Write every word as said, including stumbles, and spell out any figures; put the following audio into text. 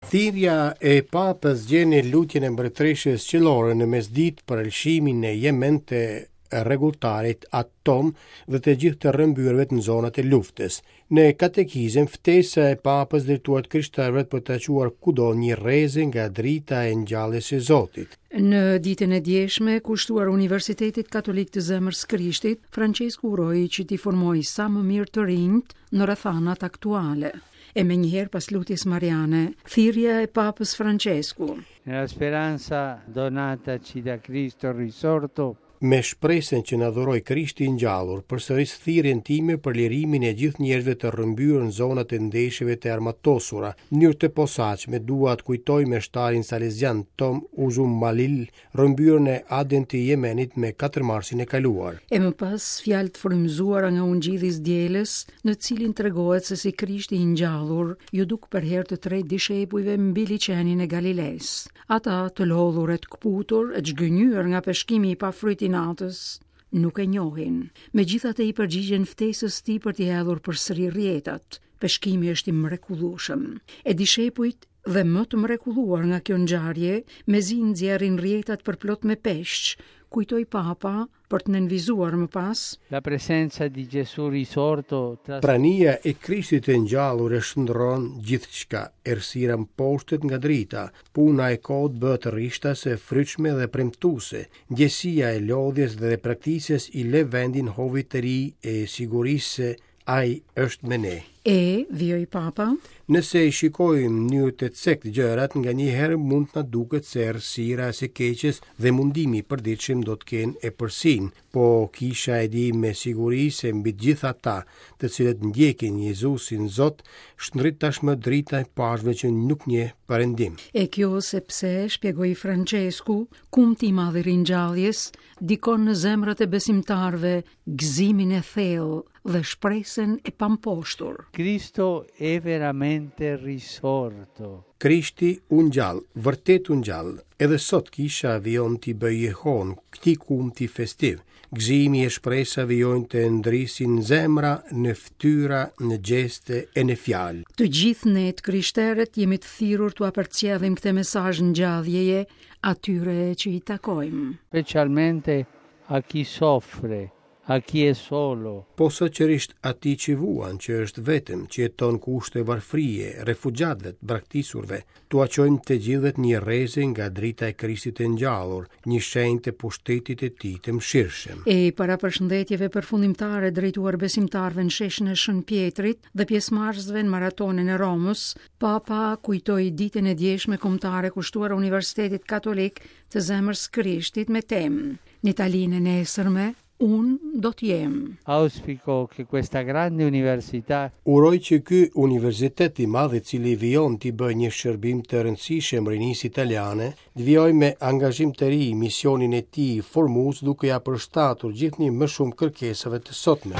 Thirrja e Papës gjen në lutjen e Mbretëreshës Qiellore në mesditë për lëshimin në Jemen të rregulltarit At Tom dhe të gjithë të rrëmbyerve në zonat e luftës. Në katekizëm, ftesa e Papës drejtuar të krishterëve për të çuar kudo një rreze nga drita e ngjalljes së Zotit. Në ditën e djeshme, kushtuar Universitetit Katolik të Zemrës Krishtit, Francesku uroi që t'i formojë sa më mirë të rinjt në rrethanat aktuale. E menjëherë pas lutjes Mariane, thirrja e Papës Francesku. Nella speranza donataci da Cristo risorto, Me shpresën që na dhuroi Krishti i ngjallur, përsëris thirrjen time për lirimin e gjithë njerëzve të rrëmbyer në zonat e ndeshjeve të armatosura. Në mënyrë të posaçme dua të kujtoj meshtarin salezian Tom Uzumalil, rrëmbyer në Aden të Jemenit me katër marsin e kaluar. E më pas fjalë të frymëzuara nga Ungjilli i Dielës, në cilin tregohet se si Krishti i ngjallur ju duk për herë të tretë dishepujve mbi liqenin e Galilesë. Ata të lodhur e të këputur e të zhgënjyer nga peshkimi i pafryt i natës, nuk e njohin. Megjithatë i përgjigjen ftesës tij për t'i hedhur përsëri rrjetat. Peshkimi është i mrekullueshëm. E dishepujt dhe më të mrekulluar nga kjo ngjarje, mezi nxjerrin rrjetat përplot me peshq, kujtoi Papa për të nënvizuar më pas. La presenza di Gesù risorto tras... Prania e Krishtit të ngjallur e shndërron gjithçka, errësira mposhtet nga drita, puna e kotë bëhet rishtas e frytshme dhe premtuese, ndjesia e lodhjes dhe praktisjes i lë vendin hovit të ri e sigurisë se ai është me ne. E, vijoi Papa, Nëse i shikojmë në mënyrë të cektë gjërat, nganjëherë mund të na duket se errësira e së keqes dhe mundimi i përditshëm do të kenë epërsinë, po kisha e di me siguri se mbi të gjithë ata, të cilët ndjekin Jezusin Zot, shndrit tashmë drita e pashve që nuk njeh perëndim. E kjo sepse, shpjegoi Francesku, kumti i madh i ringjalljes ndikon në zemrat e besimtarëve gëzimin e thellë dhe shpresën e pamposhtur. Cristo è veramente risorto. Krishti u ngjall, vërtet u ngjall. Edhe sot kisha vijon t'i bëjë jehon këtij kumti festiv. Gëzimi e shpresa vijojnë të ndrisin zemra, në fytyra, në gjeste e në fjalë. Të gjithë ne të krishterët jemi të thirrur t'ua përcjellim këtë mesazh ngjalljeje atyre që i takojmë. Specialmente a chi soffre, a chi è solo. Posaçërisht atij që vuan, që është vetëm, që jeton kushte varfërie, refugjatëve, të braktisurve, t'ua çojmë të gjithëve një rreze nga drita e Krishtit të ngjallur, një shenjë të pushtetit të tij të mëshirshëm. E para përshëndetjeve përfundimtare drejtuar besimtarëve në sheshin e Shën Pjetrit dhe pjesëmarrësve në maratonën e Romës, Papa kujtoi ditën e djeshme kombëtare kushtuar Universitetit Katolik të Zemrës Krishtit me temë Në Italinë e nesërme, unë do të jem. Auspico che questa grande università Uroj që ky universitet i madh i cili vijon t'i bëjë një shërbim të rëndësishëm rinisë italiane, të vijojë me angazhim të ri misionin e tij formues duke ja përshtatur gjithnjë më shumë kërkesave të sotme.